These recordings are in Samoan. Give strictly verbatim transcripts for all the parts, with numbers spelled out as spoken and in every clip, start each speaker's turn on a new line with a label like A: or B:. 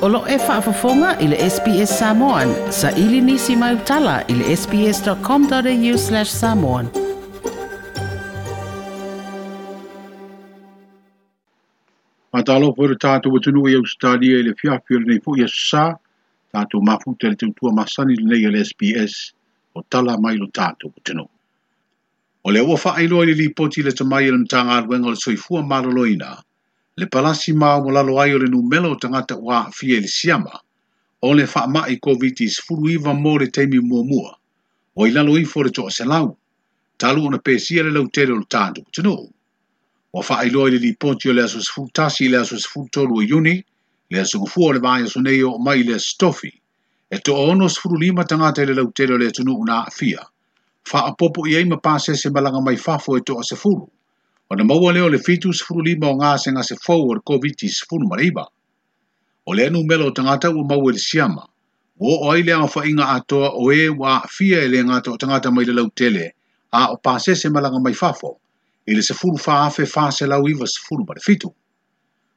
A: O lo e faafofoga i le S B S Samoan. Sa ili nisi mai utala i le sbs.com.au slash samoan.
B: Whātalo po le tātou atunuu i Australia i le fiafi o lenei foi aso sa, tātou mafuta le tautua masani lenei o le S B S o tala mai lo tātou atunuu. O le ua whaailoa i le lipoti le tamai o le Matagaluega o le Soifua Maloloina, le palasi maumolalo ai o le numela o tagata ua aafia i le siama, o le faamai COVID sefuluiva mo le taimi muamua, o i lalo ifo le toaselau, talu ona pesia le lautele o le tātou atunuu. Ua faailoa i le lipoti o le aso sefulu tasi i le aso sefulu tolu o Iuni, le aso gafua o le vaiaso nei o mai i le aso tofi, e toaono sefulu lima tagata i le lautele o le atunuu na aafia. Faapopo i ai ma pasese malaga mai fafo e toa sefulu. Ona maua lea o le fitu sefulu lima o gasegase fou o le COVID sefulu ma le iva. O le numela o tagata ua maua i le siama, ua oo ai le aofaiga atoa o e ua aafia e le gata o tagata mai le lautele, a o pasese malaga mai fafo, i le sefulu fa afe fa selau iva sefulu ma le fitu.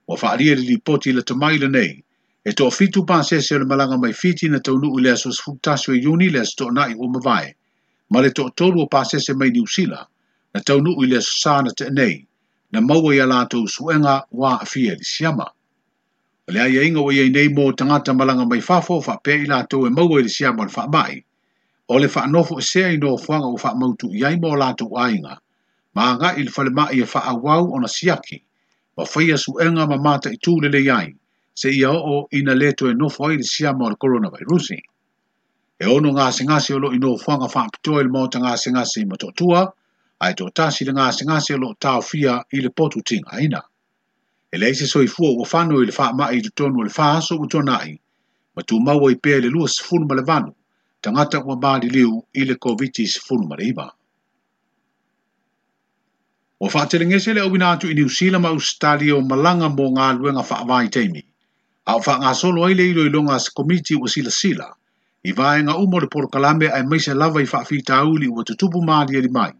B: Ua faalia le lipoti i le tamai lenei, e toafitu pasese o le malaga mai Fiti na taunuu i le aso sefulu tasi o Iuni le aso toonai ua mavae, ma le toatolu o pasese mai Niu Sila, na taunuu i le aso sa na teenei, na maua ia latou suega ua aafia i le siama. O le aiaiga ua iai nei mo tagata malaga mai fafo faapea i latou e maua i le siama o le faamai, o le faanofo esea i nofoaga ua faamautu i ai mo latou aiga, ma agai i le falemai e faaauau ona siaki, ma faia suega ma mataitu lelei ai, seia oo ina le toe nofo ai le siama o le coronavirusi. E ono gasegase o loo i nofoaga faapitoa i le maota gasegase i Motootua, ae toatasi le gasegase o loo taofia i le potu tigaina. E leai se soifua ua fano i le faamai i totonu o le fa aso ua tuanai, ma tumaua i pea i le lua sefulu ma le valu, tagata ua maliliu i le COVID sefulu ma le iva. Ua faatelegese le auina atu i Niu Sila ma Australia o malaga mo galuega faavaitaimi, a o faagasolo ai le iloiloga a se komiti ua silasila, i vaega uma o le polokalame aemaise lava i faafitauli ua tutupu malieli mai,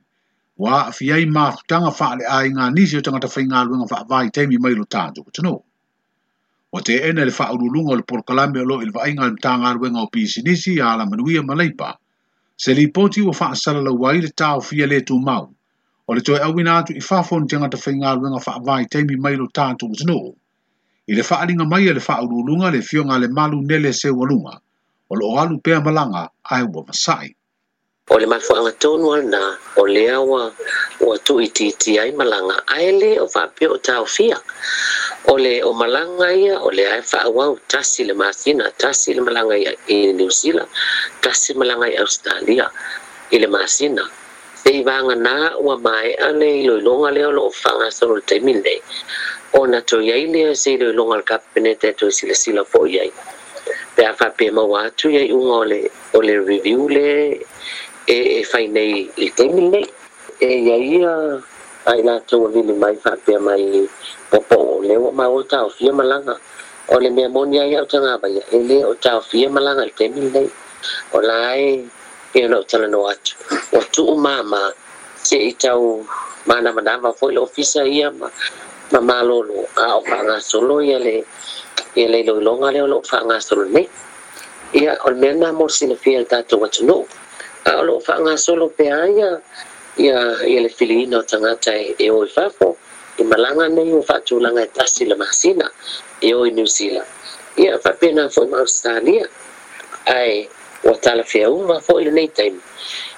B: ua aafia ai mafutaga faaleaiga nisi o tagata faigaluega faavaitaimi mai lo tatou atunuu. Ua teena le faauluuluga o le polokalame o loo i le vaaiga a le Matagaluega o Pisinisi, Alamanuia ma Leipa, se lipoti ua faasalalau ai le taofia le tumau, o le toe auina atu i fafo ni tagata faigaluega faavaitaimi mai lo tatou atunuu. I le faaliga mai a le faauluuluga le afioga a le Malu Nele Seualuga, o loo alu pea malaga ae ua vasai.
C: O le mafuaaga tonu lena o lea ua ua tuuitiitia ai malaga ae le o faapea o taofia. O le o malaga ia o lea e faaauau tasi le masina, tasi le malaga i Niu Sila, tasi malaga i Australia i le masina. Sei vaga ua maea le iloiloga lea o loo faagasolo i le taimi lenei, ona toe iai lea se iloiloga a le kapeneta e toe silasila foi ai. Pe a faapea maua atu ia iuga o le, o le review le e, e fai nei i le taimi lenei. E ia ia ai latou ua vili mai faapea mai popoo o lea ua maua taofia malaga. O le mea moni ai au tagavaia, e le o taofia malaga i le taimi lenei. O la e e ona o talanoa atu. Ua tuu mama se i tau manavanava foi le ofisa ia ma, ma malolo a o faagasolo ia le ia le iloiloga lea o loo faagasolo nei. Ia o le mea lena mo le silafia i le tatou atunuu. A o loo faagasolo pea ia ia ia le filiina o tagata e, e o i fafo i malaga nei ua faatulaga e tasi le masina e o i Niu Sila. Ia faapena foi ma Australia. Ae ua talafeauga foi lenei taimi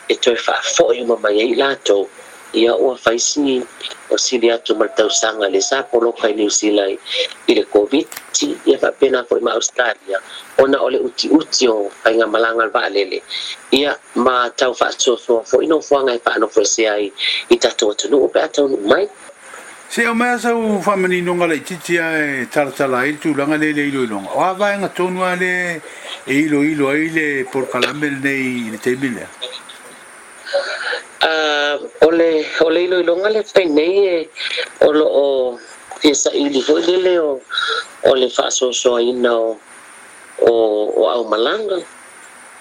C: e toe faafoi uma mai ai latou. Ia ua faisi o sili atu ma le tausaga le sa poloka i Niu Sila i le COVID, ia faapena foi ma Australia, ona o le utiuti o faigamalaga le vaalele. Ia ma tau faasoasoa foi nofoaga e faanofoesea ai i tatou atunuu pe a taunuu mai.
B: Se o mea sau faamaninoga laitiiti ae talatala ai le tulaga lea i le iloiloga. O a vaega tonu a le e iloilo ai le polokalame lenei i le taimi lea?
C: Uh, o le o le iloiloga le fai nei e o loo fia saili foi lele o o le faasoasoaina o o o aumalaga.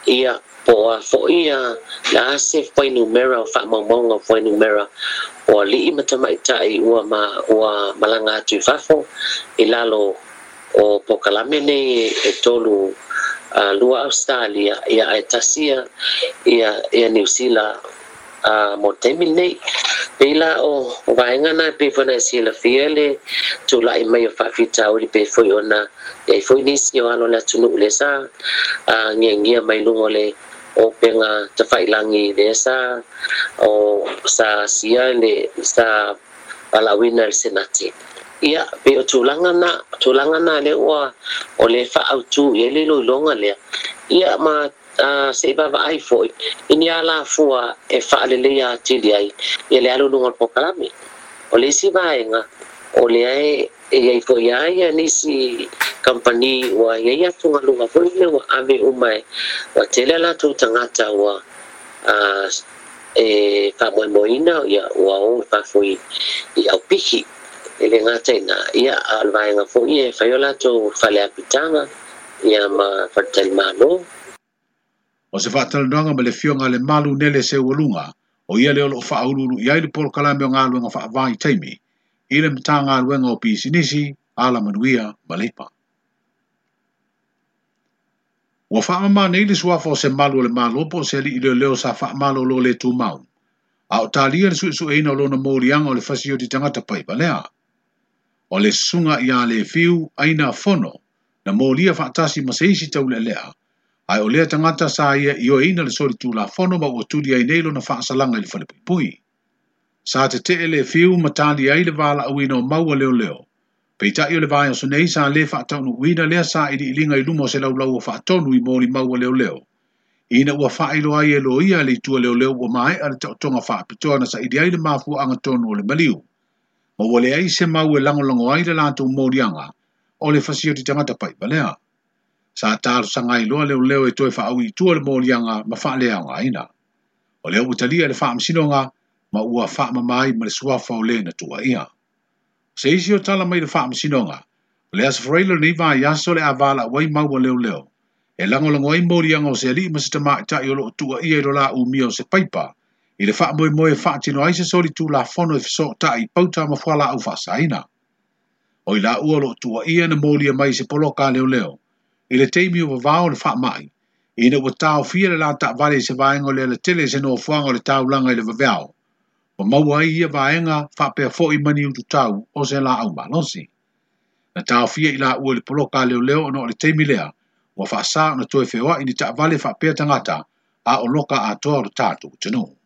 C: Ia po a foi ia la se fuainumera o faamaumauga o fuainumera o alii ma tamaitai ua ma ua malaga atu i fafo i lalo O polokalame nei e tolu uh, lua Australia ia ae tasi ia ia, ia Niu Sila uh, mo taimi nei. Pei la o vaega na pei foi ona silafia le tula'i mai o faafitauli pei foi ona iai foi nisi o alo o le atunuu lea sa uh, ngiagia mai luga o le upega tafailagi lea sa o sa asia le sa valaauina e le Senati. Ia pei o tulaga na tulaga na lea ua o le faautū i ai le iloiloga lea. Ia ma uh, se'i vaavaai foi i ni alafua e faaleleia atili ai ia le alu i luga o le polokalame. O le isi vaega o lea e iai foi a ia nisi kampani ua iai atugaluga foi lea ua ave uma e ua tele a latou tagata ua uh, e faamoemoeina ia ua o i fafo i, i aupiki. E le gata i ina ia a o le vaega foi e fai o latou faleapitaga ia ma faletalimalo.
B: O se faatalanoaga ma le Afioga a Lemalu Nele Seualuga, o ia lea o loo faauluulu i ai le polokalame o galuega faavaitaimi i le Matagaluega o Pisinisi, Alamanuia ma Leipa. Ua faamama nei le suafa o se malu o le Malo po o se alii leoleo sa faamalolo le tumau, a o talia le suesueina o lona moliaga o le fasioti tagata paivalea. O le susuga ia Le Fiu Aina Fono na molia faatasi ma se isi taulealea, ae o lea tagata sa ia ioeina le solitulafono ma ua tuli ai nei lona faasalaga i le falepuipui. Sa tetee Le Fiu ma tali ai le valaauina o mau a leoleo. Peitai o le vaiaso nei sa le faataunuuina lea sailiiliga i luma o se laulau o faatonu i molimau a leoleo, ina ua faailoa ai e loia le itu a leoleo ua maea le taotoga faapitoa na saili ai le mafuaaga tonu o le maliu, ma ua leai se mau e lagolago ai le latou moliaga o le fasioti tagata paivalea. Sa talosaga ai loa leoleo e toe faaui i tua le moliaga ma faaleaogaina. O lea ua talia le faamasinoga ma ua faamama ai ma le suafa o le na tuuaia. O se isi o tala mai le faamasinoga, o le Aso Faraile o lenei vaiaso le a valaau ai mau a leoleo e lagolago ai moliaga o se alii ma se tamaitai o loo tuuaia i lo la umia o se paipa i le faamoemoe e faatino ai se solitulafono e fesootai i pauta ma fualaau faasaina. O i laua o loo tuuaia na molia mai i se poloka a leoleo i le taimi o vavao o le faamai, ina ua taofia le la taavale i se vaega o le alatele i se nofoaga o le taulaga i le vaveao, ma maua ai ia vaega faapea foi mani ututau o se laau malosi. Na taofia i laua i le poloka a leoleo ona o le taimi lea ua faasā ona toe feoai ni taavale faapea tagata a o loka atoa o le tatou atunuu.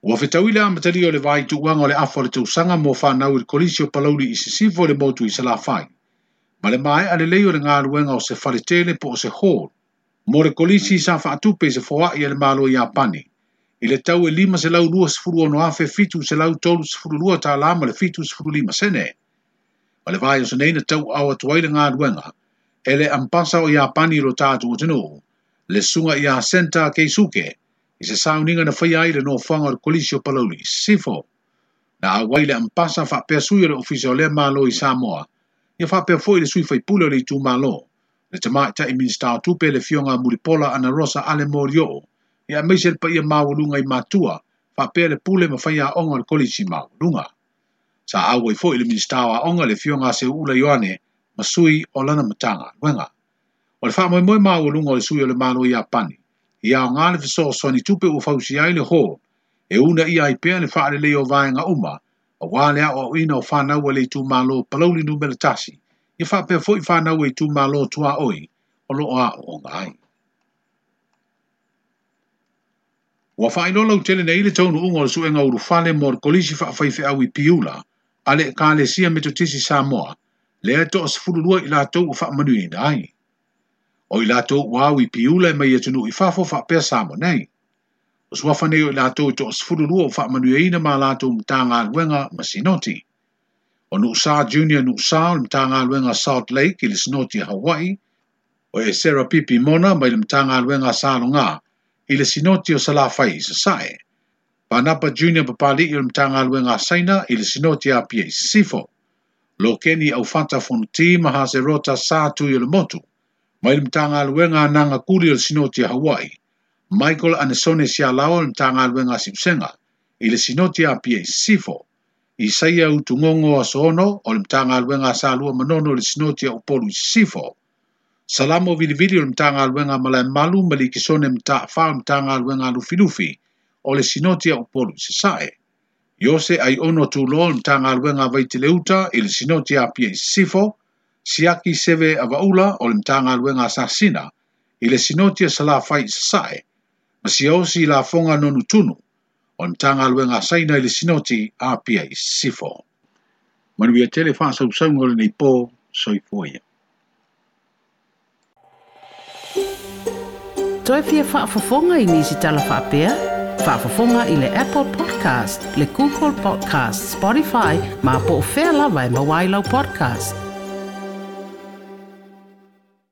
B: Ua fetaui le amatalia o le vaituuaga o le afa o le tausaga mo fanau i le Kolisi o Palauli i Sisifo i le motu i Salafai, ma le maea lelei o le galuega o se faletele po o se hall mo le kolisi sa faatupe i se foai a le Malo o Iapani i le tau e lima selau luasefulu ono afe fitu selau tolusefulu lua tālā ma le fitusefulu lima sene. O le vaiaso nei na tauaao atu ai le galuega e le Ambasa o Iapani i lo tatou atunuu, le susuga ia Senta Keisuke, i se sauniga na faia ai le nofoaga o le Kolisi o Palauli i Sisifo. Na auai le Ambasa faapea sui o le Ofisa o lea Malo i Samoa, ia faapea foi le sui faipule o le itumalo, le tamaitai Minisita o Tupe le Afioga a Mulipola Anarosa Ale Molioo, ia aemaise le paia maualuga i matua, faapea le pule ma faiaoga o le Kolisi Maualuga. Sa auai foi le Minisita o Aoga le Afioga a Seuula Ioane ma sui o lana Matagaluega. O le faamoemoe maualuga o le sui o le Malo o Iapani, ia aoga le fesoasoani tupe ua fausia ai le hall, e uunaia ai pea le faalelei o vaega uma, auā le aoaoina o fanau a le itumalo Palauli numera tasi, ia faapea foi fanau a itumalo tuaoi o loo aooga ai. Ua faailoa lautele nei le taunuuga o le suega ulufale mo le Kolisi Faafaifeau i Piula a le Ekalesia Metotisi Samoa, lea e toasefulu lua i latou ua faamanuiaina ai. O i latou ua au i Piula e mai atunuu i fafo faapea Samoa nei. O suafa nei o i latou e toasefulu lua ua faamanuiaina ma latou Matagaluega ma Sinoti. O Nuusa Junior Nuusa o le Matagaluega Salt Lake i le Sinoti a Hawaii, o Esera Pipi Mona mai le Matagaluega Saloga i le Sinoti o Salafai i Sasae, Panapa Junior Papali'i o le Matagaluega Saina i le Sinoti a Apia i Sisifo, Lokeni Aufata Fonoti ma Haserota Sa Tui o le Motu mai le Matagaluega a Nagakuli o le Sinoti a Hawaii, Michael Anesone Sialao o le Matagaluega a Siusega i le Sinoti a Apia i Sisifo, Isaia Utugogo Asono o le Matagaluega a Salua Manono i le Sinoti a Upolu i Sisifo. Salamo Vilivili o le Matagaluega a Malaemalu ma Likisone Mataafa o le Matagaluega a Lufilufi o le Sinoti a Upolu i Sasae. Iose Aiono Tuloa o le Matagaluega a Vaiteleuta i le Sinoti a Apia i Sisifo. Siaki Seve Avaula o le Matagaluega a Sasina i le Sinoti a Salafai i Sasae. Ma Siaosi Lafoga Nonutunu o le Matagaluega a Saina i le Sinoti a Apia i Sisifo. Manuia tele faasausauga o lenei po, soifua ia.
A: Toe fia faafofoga i nisi tala faapea? Faafofoga i le Apple Podcast, le Google Podcast, Spotify, ma po o fea lava e maua ai lau podcast.